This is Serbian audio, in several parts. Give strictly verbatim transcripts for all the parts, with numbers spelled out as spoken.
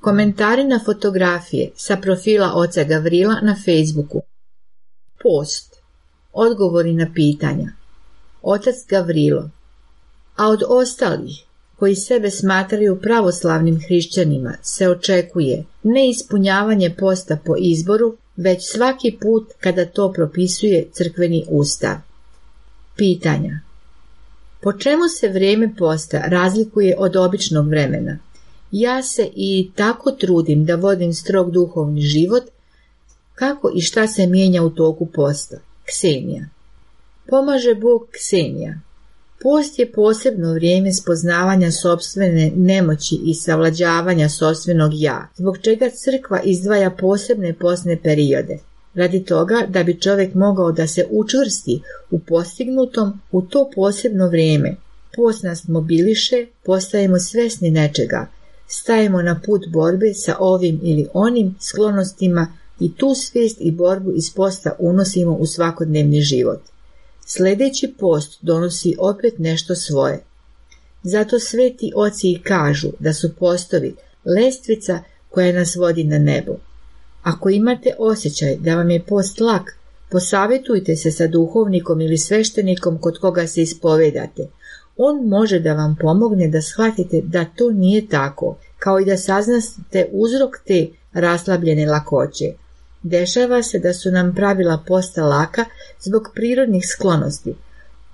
Komentari na fotografije sa profila oca Gavrila na Facebooku. Post. Odgovori na pitanja. Otac Gavrilo. A od ostalih, koji sebe smatraju pravoslavnim hrišćanima, se očekuje ne ispunjavanje posta po izboru, već svaki put kada to propisuje crkveni ustav. Pitanja. Po čemu se vrijeme posta razlikuje od običnog vremena? Ja se i tako trudim da vodim strog duhovni život, kako i šta se mijenja u toku posta? Ksenija. Pomaže Bog Ksenija. Post je posebno vrijeme spoznavanja sopstvene nemoći i savlađavanja sopstvenog ja, zbog čega crkva izdvaja posebne postne periode, radi toga da bi čovjek mogao da se učvrsti u postignutom u to posebno vrijeme. Post nas mobiliše, postajemo svesni nečega, stajemo na put borbe sa ovim ili onim sklonostima i tu svijest i borbu iz posta unosimo u svakodnevni život. Sljedeći post donosi opet nešto svoje. Zato sveti oci i kažu da su postovi lestvica koja nas vodi na nebo. Ako imate osjećaj da vam je post lak, posavjetujte se sa duhovnikom ili sveštenikom kod koga se ispovedate. On može da vam pomogne da shvatite da to nije tako, kao i da saznate uzrok te raslabljene lakoće. Dešava se da su nam pravila posta laka zbog prirodnih sklonosti.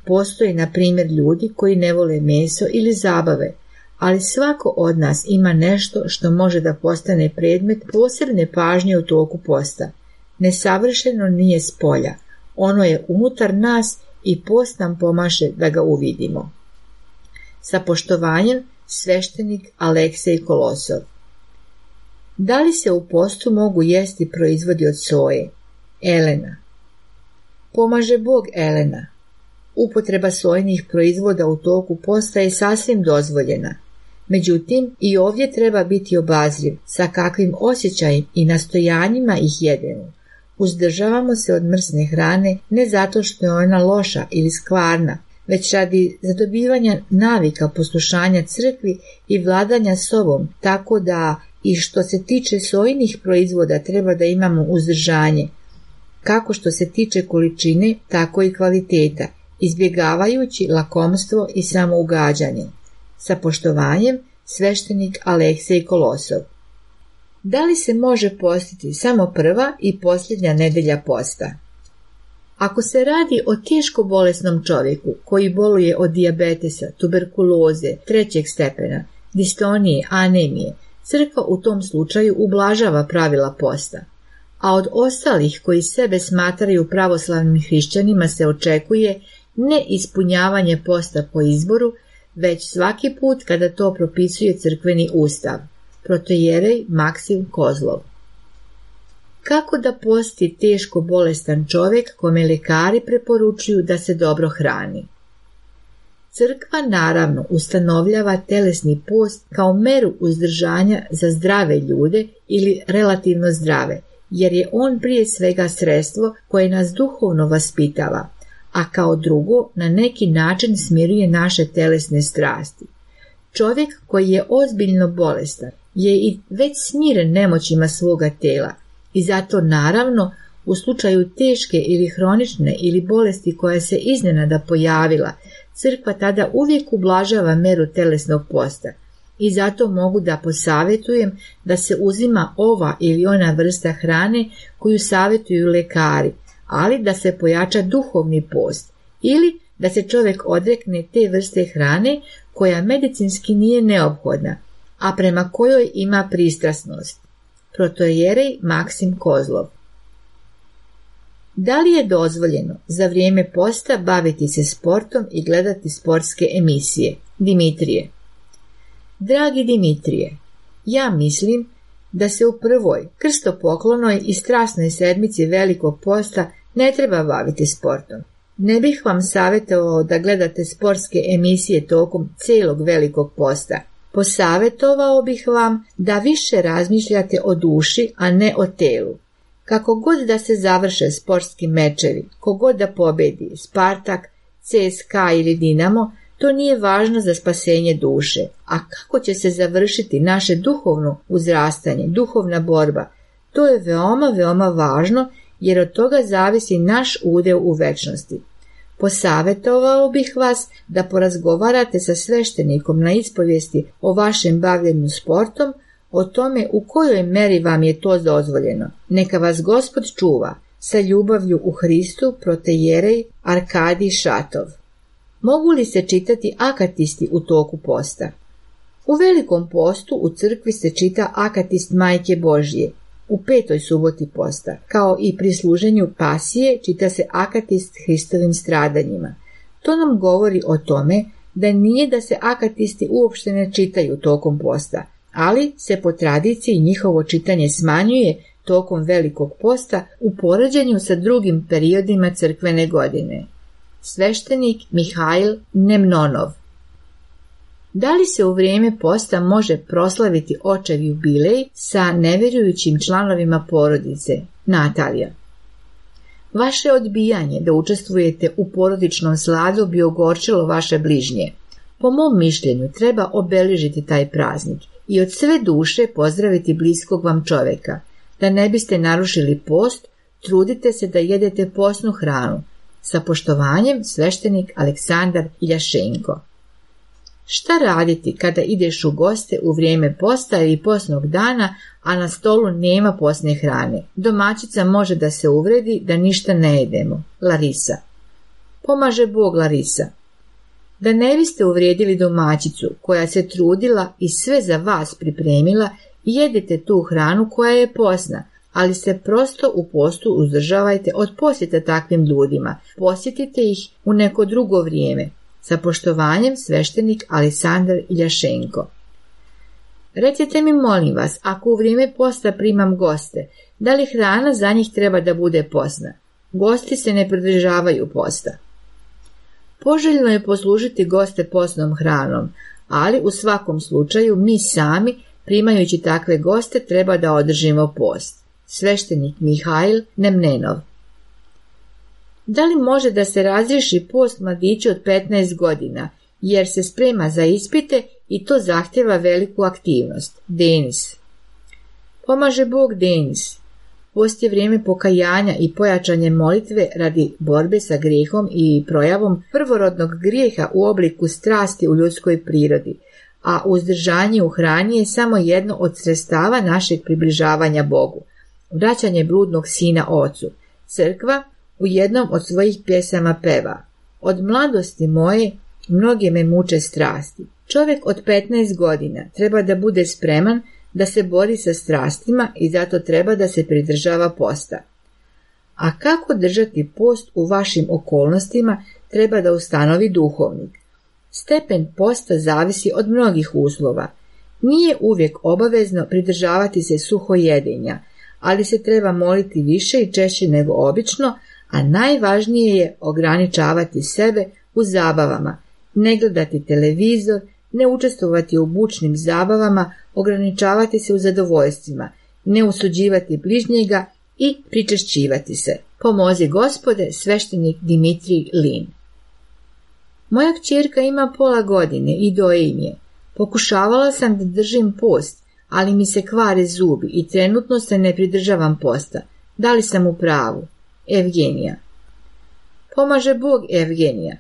Postoje, na primjer, ljudi koji ne vole meso ili zabave, ali svako od nas ima nešto što može da postane predmet posebne pažnje u toku posta. Nesavršeno nije s polja, ono je unutar nas i post nam pomaže da ga uvidimo. Sa poštovanjem, sveštenik Aleksej Kolosov. Da li se u postu mogu jesti proizvodi od soje? Elena. Pomaže Bog Elena. Upotreba sojenih proizvoda u toku posta je sasvim dozvoljena. Međutim, i ovdje treba biti obazriv sa kakvim osjećajem i nastojanjima ih jedemo. Uzdržavamo se od mrsne hrane ne zato što je ona loša ili skvarna, već radi zadobivanja navika poslušanja crkvi i vladanja sobom, tako da i što se tiče sojinih proizvoda treba da imamo uzdržanje, kako što se tiče količine, tako i kvaliteta, izbjegavajući lakomstvo i samougađanje. Sa poštovanjem, sveštenik Aleksej Kolosov. Da li se može postiti samo prva i posljednja nedelja posta? Ako se radi o teško bolesnom čovjeku koji boluje od dijabetesa, tuberkuloze, trećeg stepena, distonije, anemije, crkva u tom slučaju ublažava pravila posta, a od ostalih koji sebe smatraju pravoslavnim hrišćanima se očekuje ne ispunjavanje posta po izboru, već svaki put kada to propisuje crkveni ustav. Protojerej Maksim Kozlov. Kako da posti teško bolestan čovjek kome lekari preporučuju da se dobro hrani? Crkva naravno ustanovljava telesni post kao meru uzdržanja za zdrave ljude ili relativno zdrave, jer je on prije svega sredstvo koje nas duhovno vaspitava, a kao drugo na neki način smiruje naše telesne strasti. Čovjek koji je ozbiljno bolestan je i već smiren nemoćima svoga tela i zato naravno u slučaju teške ili hronične ili bolesti koja se iznenada pojavila, crkva tada uvijek ublažava meru telesnog posta i zato mogu da posavjetujem da se uzima ova ili ona vrsta hrane koju savjetuju lekari, ali da se pojača duhovni post ili da se čovjek odrekne te vrste hrane koja medicinski nije neophodna, a prema kojoj ima pristrasnost. Protojerej Maksim Kozlov. Da li je dozvoljeno za vrijeme posta baviti se sportom i gledati sportske emisije? Dimitrije. Dragi Dimitrije, ja mislim da se u prvoj krstopoklonoj i strasnoj sedmici Velikog posta ne treba baviti sportom. Ne bih vam savjetovao da gledate sportske emisije tokom cijelog Velikog posta. Posavjetovao bih vam da više razmišljate o duši, a ne o telu. Kako god da se završe sportski mečevi, kogod da pobedi, Spartak, C S K A ili Dinamo, to nije važno za spasenje duše. A kako će se završiti naše duhovno uzrastanje, duhovna borba, to je veoma, veoma važno, jer od toga zavisi naš udeo u večnosti. Posavjetovao bih vas da porazgovarate sa sveštenikom na ispovijesti o vašem bavljenju sportom, o tome u kojoj meri vam je to dozvoljeno. Neka vas Gospod čuva. Sa ljubavlju u Hristu, protejerej Arkadij Šatov. Mogu li se čitati akatisti u toku posta? U Velikom postu u crkvi se čita akatist Majke Božje. U petoj suboti posta, kao i pri služenju pasije, čita se akatist Hristovim stradanjima. To nam govori o tome da nije da se akatisti uopšte ne čitaju tokom posta, ali se po tradiciji njihovo čitanje smanjuje tokom Velikog posta u poređenju sa drugim periodima crkvene godine. Sveštenik Mihail Nemnonov. Da li se u vrijeme posta može proslaviti očev jubilej sa nevjerujućim članovima porodice? Natalija. Vaše odbijanje da učestvujete u porodičnom sladu bi ogorčilo vaše bližnje. Po mom mišljenju treba obeležiti taj praznik i od sve duše pozdraviti bliskog vam čovjeka. Da ne biste narušili post, trudite se da jedete postnu hranu. Sa poštovanjem, sveštenik Aleksandar Iljašenko. Šta raditi kada ideš u goste u vrijeme posta ili postnog dana, a na stolu nema postne hrane? Domaćica može da se uvredi da ništa ne jedemo. Larisa. Pomaže Bog, Larisa. Da ne biste uvrijedili domaćicu koja se trudila i sve za vas pripremila, jedite tu hranu koja je postna, ali se prosto u postu uzdržavajte od posjeta takvim ljudima. Posjetite ih u neko drugo vrijeme. Sa poštovanjem, sveštenik Aleksandar Iljašenko. Recite mi, molim vas, ako u vrijeme posta primam goste, da li hrana za njih treba da bude postna? Gosti se ne pridržavaju posta. Poželjno je poslužiti goste postnom hranom, ali u svakom slučaju mi sami, primajući takve goste, treba da održimo post. Sveštenik Mihail Nemnenov. Da li može da se razriješi post mladiću od petnaest godina, jer se sprema za ispite i to zahtjeva veliku aktivnost? Denis. Pomaže Bog, Denis. Post je vrijeme pokajanja i pojačanje molitve radi borbe sa grijehom i projavom prvorodnog grijeha u obliku strasti u ljudskoj prirodi, a uzdržanje u hrani je samo jedno od sredstava našeg približavanja Bogu. Vraćanje bludnog sina ocu. Crkva u jednom od svojih pjesama peva: od mladosti moje mnoge me muče strasti. Čovjek od petnaest godina treba da bude spreman da se bori sa strastima i zato treba da se pridržava posta. A kako držati post u vašim okolnostima treba da ustanovi duhovnik. Stepen posta zavisi od mnogih uslova. Nije uvijek obavezno pridržavati se suhojedenja, ali se treba moliti više i češće nego obično, a najvažnije je ograničavati sebe u zabavama, ne gledati televizor, ne učestvovati u bučnim zabavama, ograničavati se u zadovoljstvima, ne osuđivati bližnjega i pričešćivati se. Pomozi Gospode, sveštenik Dimitrij Lin. Moja kćerka ima pola godine i doje im je. Pokušavala sam da držim post, ali mi se kvare zubi i trenutno se ne pridržavam posta. Da li sam u pravu? Evgenija. Pomaže Bog, Evgenija.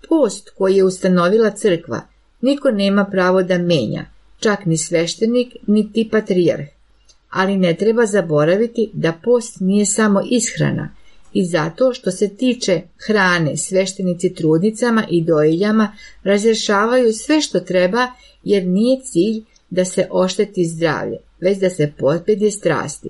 Post koji je ustanovila crkva niko nema pravo da menja, čak ni sveštenik, niti patrijarh. Ali ne treba zaboraviti da post nije samo ishrana i zato što se tiče hrane, sveštenici trudnicama i dojiljama razrješavaju sve što treba, jer nije cilj da se ošteti zdravlje, već da se pobjede strasti.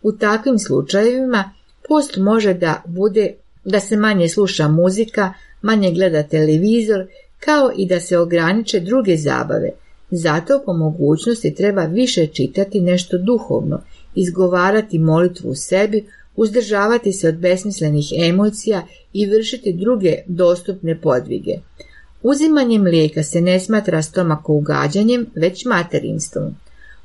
U takvim slučajevima Post može da bude da se manje sluša muzika, manje gleda televizor, kao i da se ograniče druge zabave. Zato po mogućnosti treba više čitati nešto duhovno, izgovarati molitvu u sebi, uzdržavati se od besmislenih emocija i vršiti druge dostupne podvige. Uzimanje mlijeka se ne smatra stomakougađanjem, već materinstvom.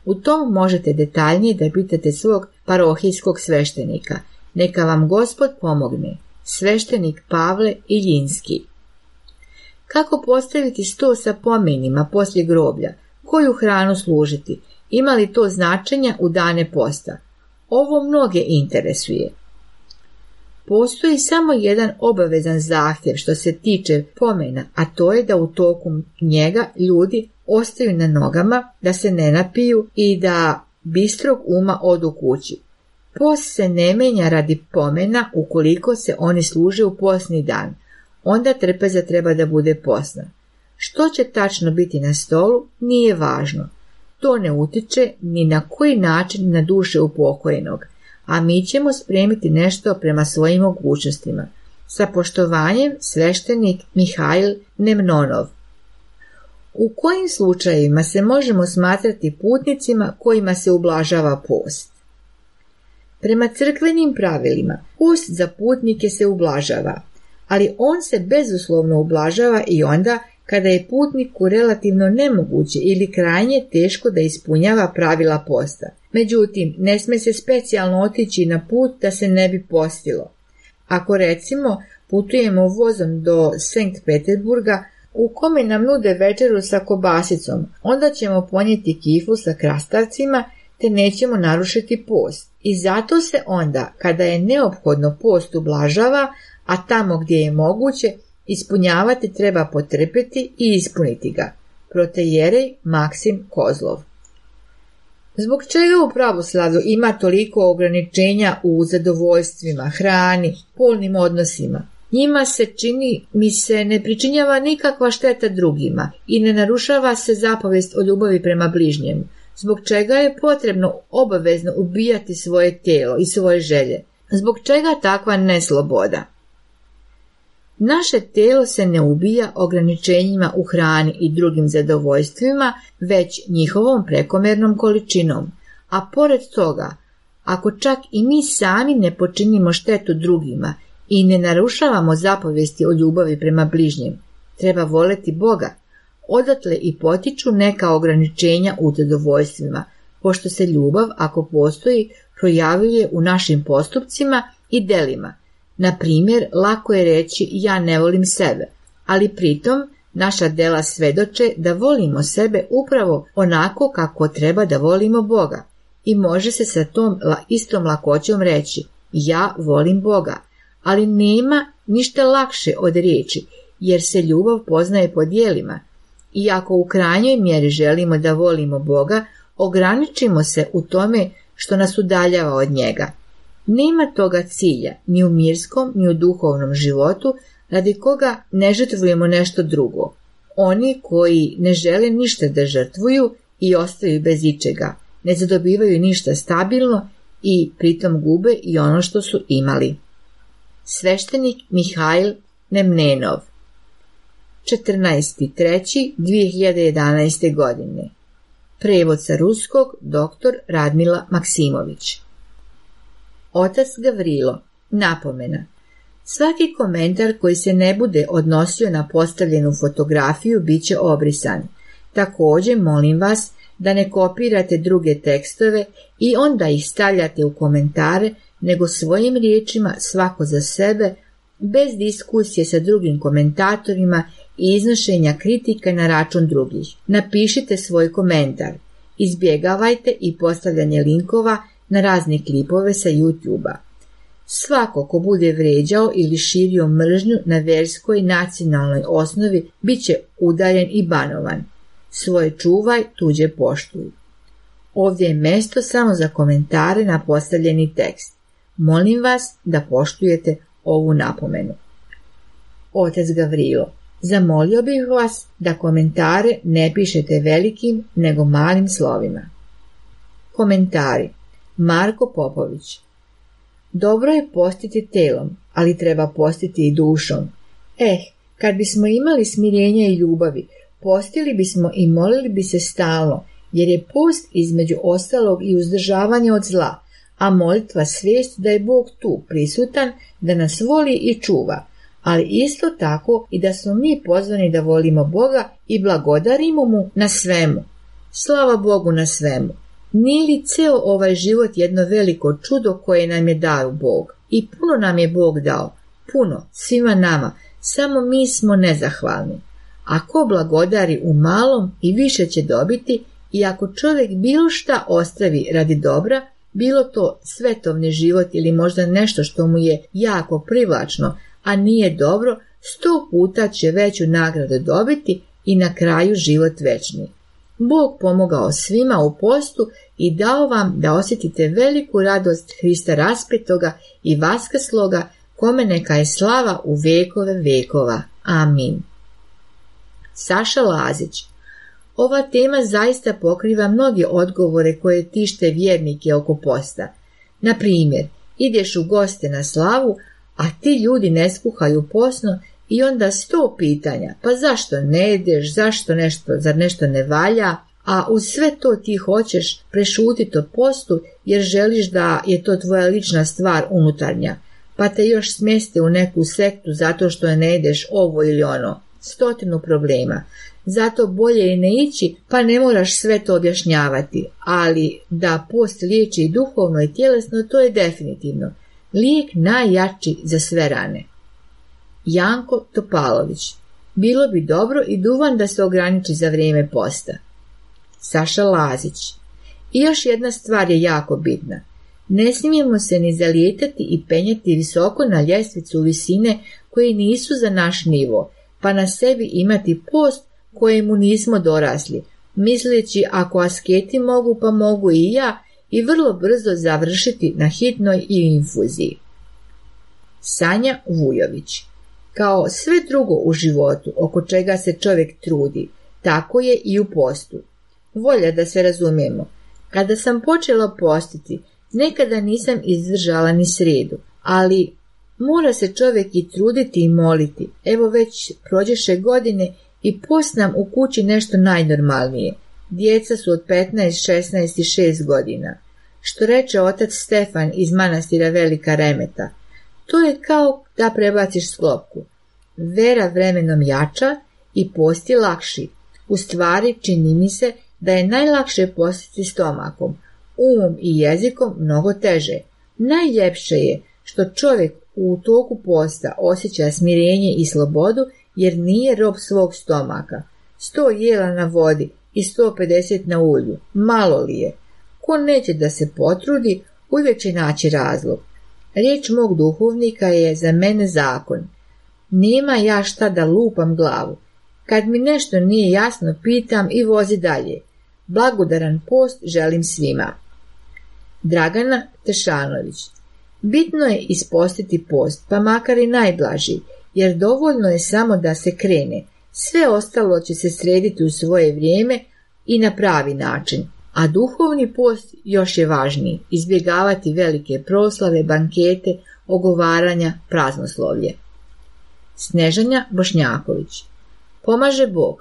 U tom možete detaljnije da pitate svog parohijskog sveštenika. Neka vam Gospod pomogne. Sveštenik Pavle Iljinski. Kako postaviti sto sa pomenima poslije groblja? Koju hranu služiti? Ima li to značenja u dane posta? Ovo mnoge interesuje. Postoji samo jedan obavezan zahtjev što se tiče pomena, a to je da u toku njega ljudi ostaju na nogama, da se ne napiju i da bistrog uma odu kući. Post se ne menja radi pomena ukoliko se oni služe u postni dan. Onda trpeza treba da bude postna. Što će tačno biti na stolu, nije važno. To ne utiče ni na koji način na duše upokojenog, a mi ćemo spremiti nešto prema svojim mogućnostima. Sa poštovanjem, sveštenik Mihail Nemnonov. U kojim slučajevima se možemo smatrati putnicima kojima se ublažava post? Prema crkvenim pravilima, post za putnike se ublažava, ali on se bezuslovno ublažava i onda kada je putniku relativno nemoguće ili krajnje teško da ispunjava pravila posta. Međutim, ne sme se specijalno otići na put da se ne bi postilo. Ako recimo putujemo vozom do Sankt Peterburga u kome nam nude večeru sa kobasicom, onda ćemo ponijeti kiflu sa krastavcima te nećemo narušiti post. I zato se onda, kada je neophodno, post ublažava, a tamo gdje je moguće, ispunjavati treba potrpeti i ispuniti ga. Protejerej Maksim Kozlov. Zbog čega u pravoslavlju ima toliko ograničenja u zadovoljstvima, hrani, polnim odnosima? Njima se čini mi se ne pričinjava nikakva šteta drugima i ne narušava se zapovest o ljubavi prema bližnjemu, zbog čega je potrebno obavezno ubijati svoje tijelo i svoje želje. Zbog čega takva nesloboda? Naše tijelo se ne ubija ograničenjima u hrani i drugim zadovoljstvima, već njihovom prekomernom količinom. A pored toga, ako čak i mi sami ne počinimo štetu drugima i ne narušavamo zapovesti o ljubavi prema bližnjem, treba voleti Boga. Odatle i potiču neka ograničenja u zadovoljstvima, pošto se ljubav, ako postoji, projavljuje u našim postupcima i delima. Na primjer, lako je reći ja ne volim sebe, ali pritom naša dela svedoče da volimo sebe upravo onako kako treba da volimo Boga i može se sa tom istom lakoćom reći ja volim Boga, ali nema ništa lakše od riječi jer se ljubav poznaje po djelima i ako u krajnjoj mjeri želimo da volimo Boga, ograničimo se u tome što nas udaljava od njega. Nema toga cilja ni u mirskom ni u duhovnom životu radi koga ne žrtvujemo nešto drugo. Oni koji ne žele ništa da žrtvuju i ostaju bez ičega, ne zadobivaju ništa stabilno i pritom gube i ono što su imali. Sveštenik Mihail Nemnenov. četrnaesti treći dvije hiljade jedanaeste. godine. Prevod sa ruskog doktor Radmila Maksimović. Otac Gavrilo. Napomena. Svaki komentar koji se ne bude odnosio na postavljenu fotografiju bit će obrisan. Također molim vas da ne kopirate druge tekstove i onda ih stavljate u komentare, nego svojim riječima svako za sebe, bez diskusije sa drugim komentatorima i iznošenja kritika na račun drugih. Napišite svoj komentar. Izbjegavajte i postavljanje linkova na razne klipove sa YouTube-a. Svako ko bude vrijeđao ili širio mržnju na vjerskoj nacionalnoj osnovi bit će udaljen i banovan. Svoje čuvaj, tuđe poštuj. Ovdje je mjesto samo za komentare na postavljeni tekst. Molim vas da poštujete ovu napomenu. Otac Gavrilo. Zamolio bih vas da komentare ne pišete velikim nego malim slovima. Komentari. Marko Popović. Dobro je postiti telom, ali treba postiti i dušom. Eh, kad bismo imali smirenja i ljubavi, postili bismo i molili bi se stalno, jer je post između ostalog i uzdržavanje od zla, a molitva svijest da je Bog tu prisutan, da nas voli i čuva, ali isto tako i da smo mi pozvani da volimo Boga i blagodarimo mu na svemu. Slava Bogu na svemu. Nije li ceo ovaj život jedno veliko čudo koje nam je dao Bog? I puno nam je Bog dao, puno, svima nama, samo mi smo nezahvalni. Ako blagodari u malom i više će dobiti, i ako čovjek bilo šta ostavi radi dobra, bilo to svetovni život ili možda nešto što mu je jako privlačno, a nije dobro, sto puta će veću nagradu dobiti i na kraju život večni. Bog pomogao svima u postu i dao vam da osjetite veliku radost Hrista raspetoga i vaskrsloga, kome neka je slava u vekove vekova. Amin. Saša Lazić. Ova tema zaista pokriva mnoge odgovore koje tište vjernike oko posta. Na primjer, ideš u goste na slavu, a ti ljudi ne skuhaju posno i onda sto pitanja, pa zašto ne jedeš, zašto nešto, zar nešto ne valja, a uz sve to ti hoćeš prešutiti o postu jer želiš da je to tvoja lična stvar unutarnja, pa te još smjeste u neku sektu zato što ne jedeš ovo ili ono, stotinu problema. Zato bolje je ne ići, pa ne moraš sve to objašnjavati, ali da post liječi i duhovno i tjelesno, to je definitivno. Lijek najjači za sve rane. Janko Topalović. Bilo bi dobro i duvan da se ograniči za vrijeme posta. Saša Lazić. I još jedna stvar je jako bitna. Ne smijemo se ni zalijetati i penjati visoko na ljestvicu visine koje nisu za naš nivo, pa na sebi imati post kojemu nismo dorasli, misleći ako asketi mogu pa mogu i ja, i vrlo brzo završiti na hitnoj i infuziji. Sanja Vujović. Kao sve drugo u životu oko čega se čovjek trudi, tako je i u postu. Volja da se razumijemo. Kada sam počela postiti, nekada nisam izdržala ni srijedu, ali mora se čovjek i truditi i moliti. Evo već prođeše godine i post nam u kući nešto najnormalnije. Djeca su od petnaest, šesnaest i šest godina. Što reče otac Stefan iz manastira Velika Remeta, to je kao da prebaciš sklopku. Vera vremenom jača i post je lakši. U stvari čini mi se da je najlakše postiti stomakom, umom i jezikom mnogo teže. Najljepše je što čovjek u toku posta osjeća smirenje i slobodu jer nije rob svog stomaka. Sto jela na vodi i sto pedeset na ulju, malo li je? Ko neće da se potrudi, uvijek će naći razlog. Riječ mog duhovnika je za mene zakon. Nema ja šta da lupam glavu. Kad mi nešto nije jasno, pitam i vozi dalje. Blagodaran post želim svima. Dragana Tešanović. Bitno je ispostiti post, pa makar i najblaži, jer dovoljno je samo da se krene. Sve ostalo će se srediti u svoje vrijeme i na pravi način. A duhovni post još je važniji, izbjegavati velike proslave, bankete, ogovaranja, praznoslovlje. Snežanja Bošnjaković. Pomaže Bog.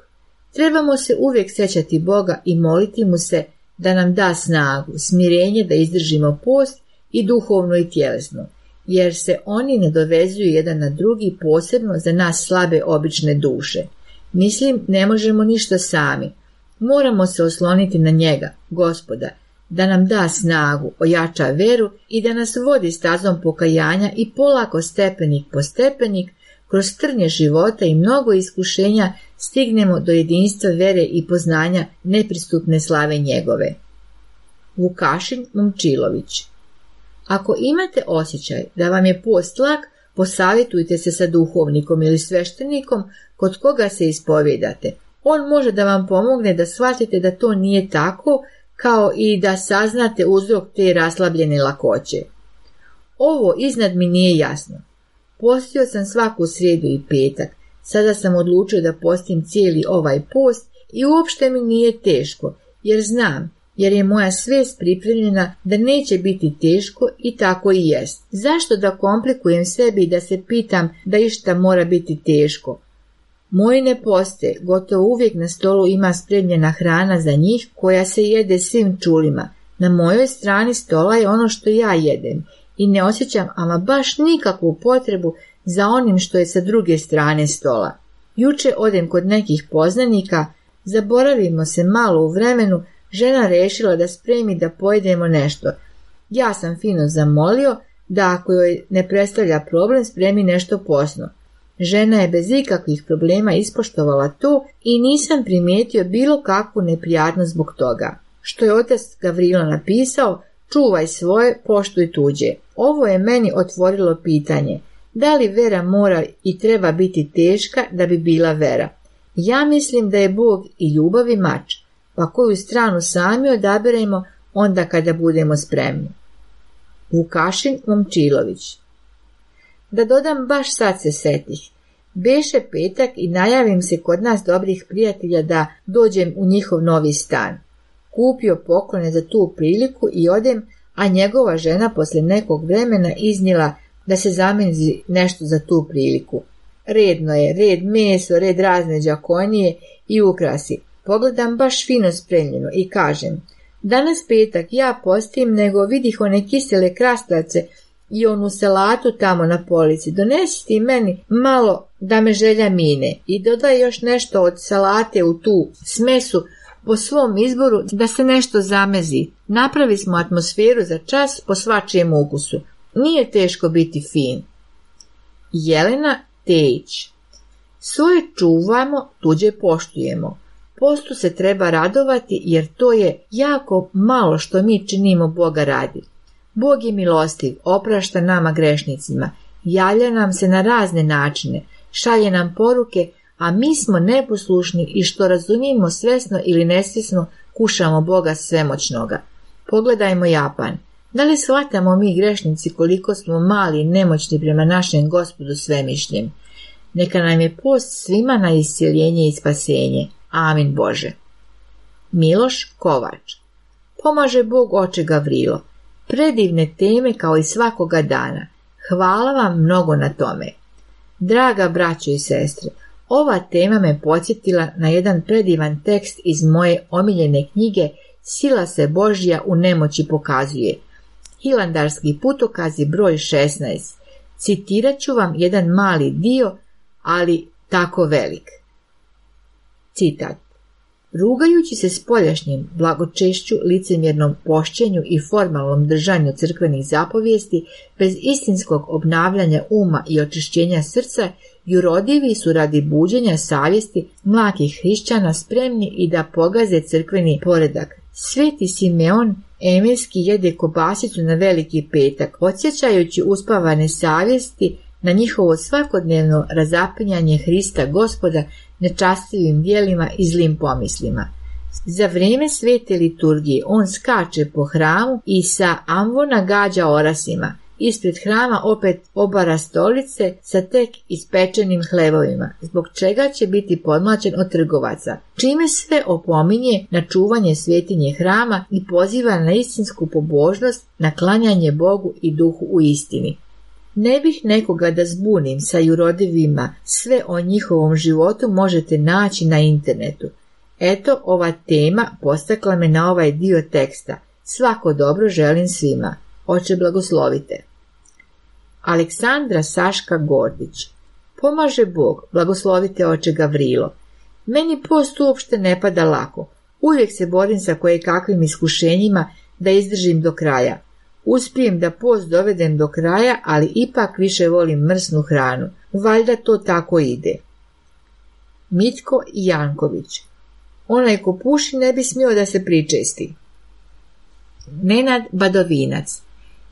Trebamo se uvijek sjećati Boga i moliti mu se da nam da snagu, smirenje da izdržimo post i duhovno i tjelesno, jer se oni nadovezuju jedan na drugi, posebno za nas slabe obične duše. Mislim, ne možemo ništa sami. Moramo se osloniti na njega, Gospoda, da nam da snagu, ojača veru i da nas vodi stazom pokajanja i polako stepenik po stepenik, kroz trnje života i mnogo iskušenja stignemo do jedinstva vere i poznanja nepristupne slave njegove. Vukašin Momčilović. Ako imate osjećaj da vam je post lak, posavjetujte se sa duhovnikom ili sveštenikom kod koga se ispovjedate. On može da vam pomogne da shvatite da to nije tako, kao i da saznate uzrok te raslabljene lakoće. Ovo iznad mi nije jasno. Postio sam svaku srijedu i petak, sada sam odlučio da postim cijeli ovaj post i uopšte mi nije teško, jer znam, jer je moja svijest pripremljena da neće biti teško i tako i jest. Zašto da komplikujem sebi i da se pitam da išta mora biti teško? Moji ne postoje, gotovo uvijek na stolu ima spremljena hrana za njih koja se jede svim čulima. Na mojoj strani stola je ono što ja jedem i ne osjećam ama baš nikakvu potrebu za onim što je sa druge strane stola. Juče odem kod nekih poznanika, zaboravimo se malo u vremenu, žena rešila da spremi da pojedemo nešto. Ja sam fino zamolio da ako joj ne predstavlja problem spremi nešto posno. Žena je bez ikakvih problema ispoštovala to i nisam primijetio bilo kakvu neprijatnost zbog toga. Što je otac Gavrilo napisao, čuvaj svoje, poštuj tuđe. Ovo je meni otvorilo pitanje, da li vera mora i treba biti teška da bi bila vera? Ja mislim da je Bog i ljubav i mač, pa koju stranu sami odaberemo onda kada budemo spremni. Vukašin Momčilović. Da dodam, baš sad se setih. Beše petak i najavim se kod nas dobrih prijatelja da dođem u njihov novi stan. Kupio poklone za tu priliku i odem, a njegova žena posle nekog vremena iznijela da se zamenzi nešto za tu priliku. Redno je, red meso, red razne đakonije i ukrasi. Pogledam baš fino spremljeno i kažem, danas petak ja postim, nego vidih one kisele krastavce i onu salatu tamo na polici. Donesi ti meni malo da me želja mine i dodaj još nešto od salate u tu smesu po svom izboru da se nešto zamezi. Napravi smo atmosferu za čas po svačijem ukusu. Nije teško biti fin. Jelena Tejić. Svoje čuvamo, tuđe poštujemo. Postu se treba radovati jer to je jako malo što mi činimo Boga radi. Bog je milostiv, oprašta nama grešnicima, javlja nam se na razne načine, šalje nam poruke, a mi smo neposlušni i što razumijemo svesno ili nesvjesno kušamo Boga svemoćnoga. Pogledajmo Japan. Da li shvatamo mi grešnici koliko smo mali i nemoćni prema našem Gospodu svemišljem? Neka nam je post svima na iscjeljenje i spasenje. Amin Bože. Miloš Kovač. Pomaže Bog oče Gavrilo. Predivne teme kao i svakoga dana. Hvala vam mnogo na tome. Draga braćo i sestre, ova tema me podsjetila na jedan predivan tekst iz moje omiljene knjige Sila se Božja u nemoći pokazuje. Hilandarski putokazi broj šesnaest. Citirat ću vam jedan mali dio, ali tako velik. Citat. Rugajući se spoljašnjim blagočešću, licemjernom pošćenju i formalnom držanju crkvenih zapovijesti, bez istinskog obnavljanja uma i očišćenja srca, jurodivi su radi buđenja savjesti mlakih hrišćana spremni i da pogaze crkveni poredak. Sveti Simeon Emirski jede kobasicu na veliki petak, podsjećajući uspavane savjesti na njihovo svakodnevno razapinjanje Hrista Gospoda nečastivim djelima i zlim pomislima. Za vrijeme svete liturgije on skače po hramu i sa ambona gađa orasima. Ispred hrama opet obara stolice sa tek ispečenim hlebovima, zbog čega će biti podmlačen od trgovaca, čime sve opominje na čuvanje svetinje hrama i poziva na istinsku pobožnost, na klanjanje Bogu i duhu u istini. Ne bih nekoga da zbunim sa jurodivima, sve o njihovom životu možete naći na internetu. Eto, ova tema postakla me na ovaj dio teksta. Svako dobro želim svima. Oče blagoslovite. Aleksandra Saška Gordić. Pomaže Bog, blagoslovite oče Gavrilo. Meni post uopšte ne pada lako. Uvijek se borim sa kojekakvim iskušenjima da izdržim do kraja. Uspijem da post dovedem do kraja, ali ipak više volim mrsnu hranu. Valjda to tako ide. Mitko Janković. Onaj ko puši ne bi smio da se pričesti. Nenad Badovinac.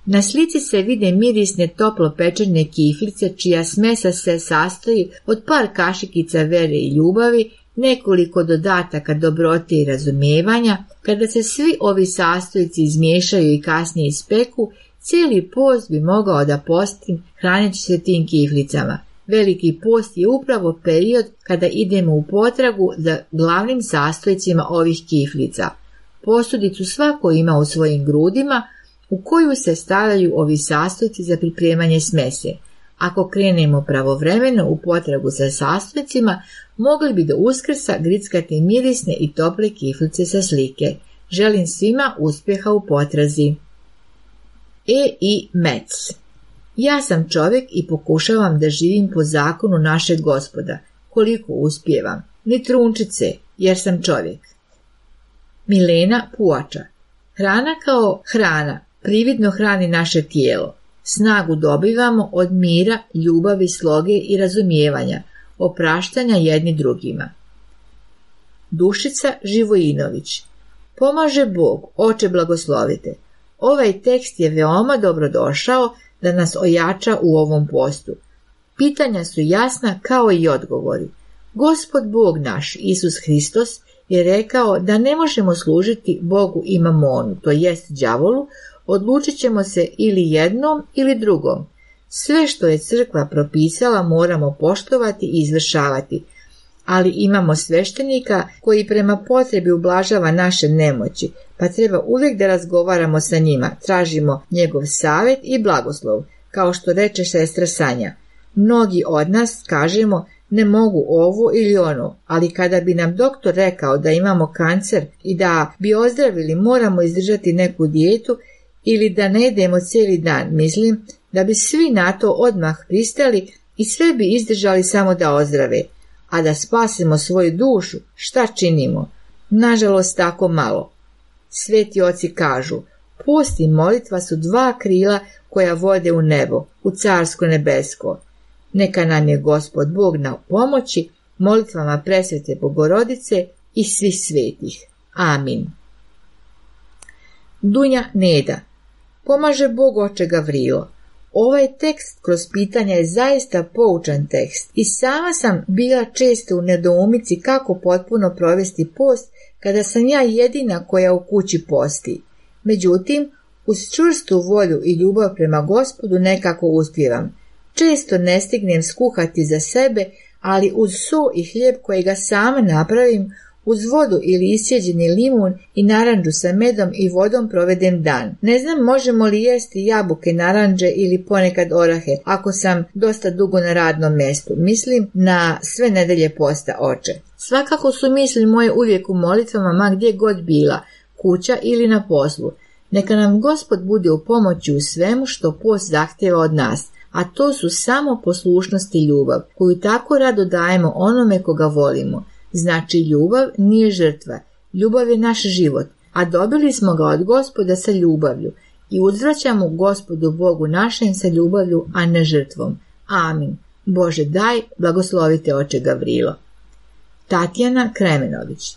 Na slici se vide mirisne toplo pečene kiflice čija smesa se sastoji od par kašikica vere i ljubavi, nekoliko dodataka dobrote i razumijevanja. Kada se svi ovi sastojci izmiješaju i kasnije ispeku, cijeli post bi mogao da posti hraneći se tim kiflicama. Veliki post je upravo period kada idemo u potragu za glavnim sastojcima ovih kiflica. posudicu svako ima u svojim grudima, u koju se stavljaju ovi sastojci za pripremanje smese. Ako krenemo pravovremeno u potragu za sastojcima, mogli bi do Uskrsa grickati mirisne i tople kiflice sa slike. Želim svima uspjeha u potrazi. E. I. Metz. Ja sam čovjek i pokušavam da živim po zakonu našeg Gospoda. Koliko uspijevam? Ni trunčice, jer sam čovjek. Milena Puača. Hrana kao hrana prividno hrani naše tijelo. Snagu dobivamo od mira, ljubavi, sloge i razumijevanja, opraštanja jedni drugima. Dušica Živojinović. Pomaže Bog, Oče blagoslovite. Ovaj tekst je veoma dobrodošao da nas ojača u ovom postu. Pitanja su jasna kao i odgovori. Gospod Bog naš, Isus Hristos, je rekao da ne možemo služiti Bogu i mamonu, to jest đavolu, odlučit ćemo se ili jednom ili drugom. Sve što je crkva propisala moramo poštovati i izvršavati, ali imamo sveštenika koji prema potrebi ublažava naše nemoći, pa treba uvijek da razgovaramo sa njima, tražimo njegov savjet i blagoslov, kao što reče sestra Sanja. Mnogi od nas kažemo ne mogu ovo ili ono, ali kada bi nam doktor rekao da imamo kancer i da bi ozdravili moramo izdržati neku dijetu ili da ne jedemo cijeli dan, mislim da bi svi na to odmah pristali i sve bi izdržali samo da ozdrave, a da spasimo svoju dušu, šta činimo? Nažalost tako malo. Sveti oci kažu, post i molitva su dva krila koja vode u nebo, u carsko nebesko. Neka nam je Gospod Bog na pomoći molitvama presvete Bogorodice i svih svetih. Amin. Dunja Neda. Pomaže Bog, Oče Gavrilo. Ovaj tekst kroz pitanja je zaista poučan tekst i sama sam bila često u nedoumici kako potpuno provesti post kada sam ja jedina koja u kući posti. Međutim, uz čvrstu volju i ljubav prema Gospodu nekako uspijevam. Često ne stignem skuhati za sebe, ali uz so i hljeb kojega sama napravim, uz vodu ili isjeđeni limun i naranđu sa medom i vodom provedem dan. Ne znam možemo li jesti jabuke, naranđe ili ponekad orahe, ako sam dosta dugo na radnom mjestu. Mislim na sve nedelje posta, Oče. Svakako su misli moje uvijek u molitvama, ma gdje god bila, kuća ili na poslu. Neka nam Gospod bude u pomoći u svemu što post zahtjeva od nas, a to su samo poslušnost i ljubav, koju tako rado dajemo onome koga volimo. Znači, ljubav nije žrtva, ljubav je naš život, a dobili smo ga od Gospoda sa ljubavlju i uzvraćamo Gospodu Bogu našem sa ljubavlju, a ne žrtvom. Amin. Bože daj, blagoslovite Oče Gavrilo. Tatjana Kremenović.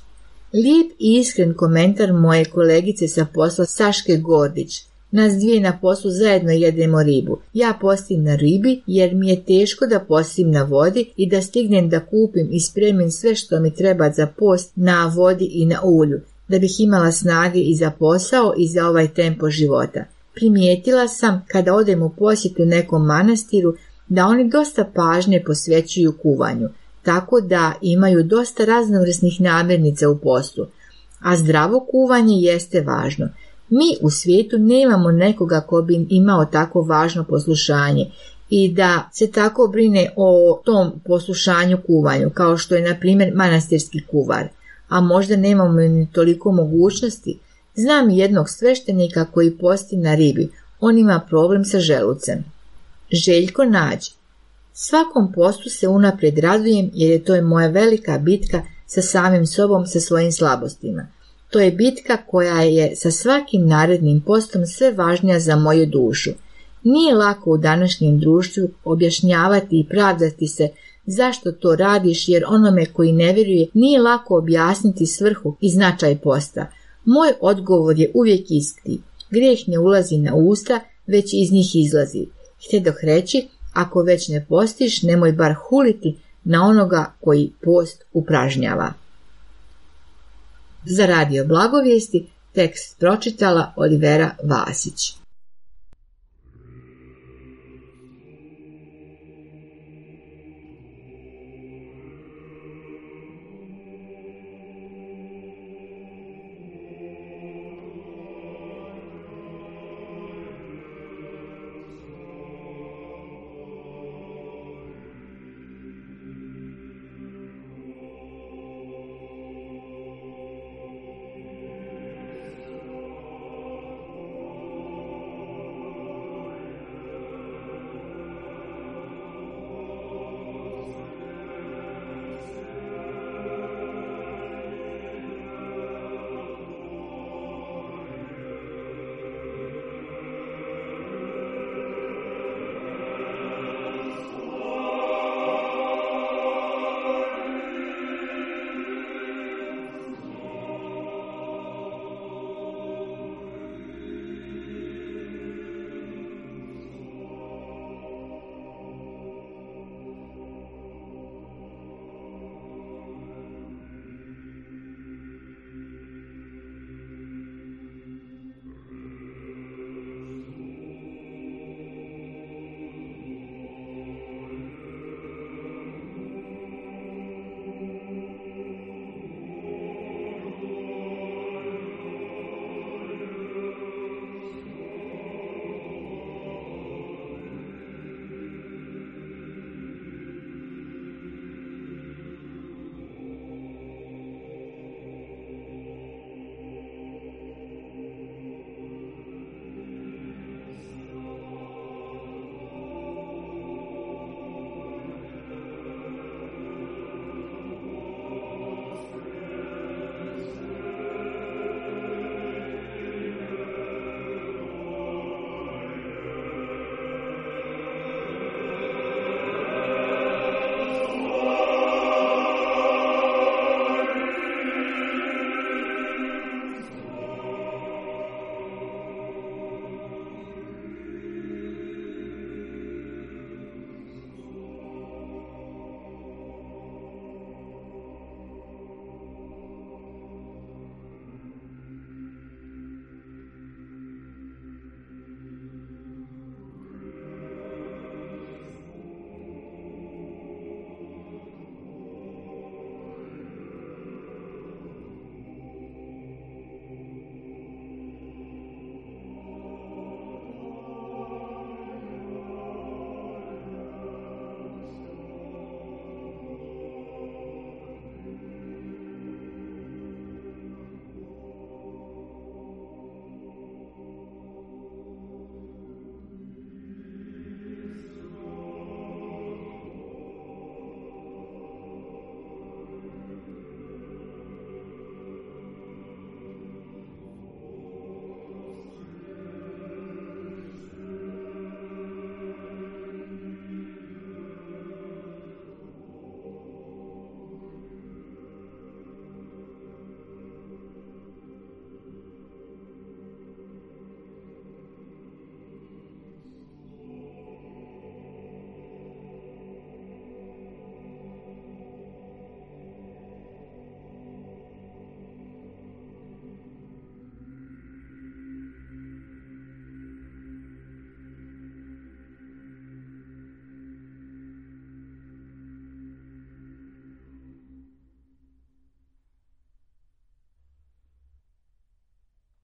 Lijep i iskren komentar moje kolegice sa posla Saške Gordić. Nas dvije na poslu zajedno jedemo ribu. Ja postim na ribi jer mi je teško da postim na vodi i da stignem da kupim i spremim sve što mi treba za post na vodi i na ulju, da bih imala snage i za posao i za ovaj tempo života. Primijetila sam kada odem u posjetu nekom manastiru da oni dosta pažnje posvećuju kuvanju, tako da imaju dosta raznovrsnih namirnica u postu, a zdravo kuvanje jeste važno. Mi u svijetu nemamo nekoga ko bi imao tako važno poslušanje i da se tako brine o tom poslušanju kuvanju, kao što je na primjer manastirski kuvar, a možda nemamo ni toliko mogućnosti. Znam jednog sveštenika koji posti na ribi, on ima problem sa želucem. Željko Nađ. Svakom postu se unaprijed radujem jer je to je moja velika bitka sa samim sobom, sa svojim slabostima. To je bitka koja je sa svakim narednim postom sve važnija za moju dušu. Nije lako u današnjem društvu objašnjavati i pravdati se zašto to radiš, jer onome koji ne vjeruje nije lako objasniti svrhu i značaj posta. Moj odgovor je uvijek isti. Grijeh ne ulazi na usta, već iz njih izlazi. Htjedoh reći, ako već ne postiš, nemoj bar huliti na onoga koji post upražnjava. Za Radio Blagovijesti tekst pročitala Olivera Vasić.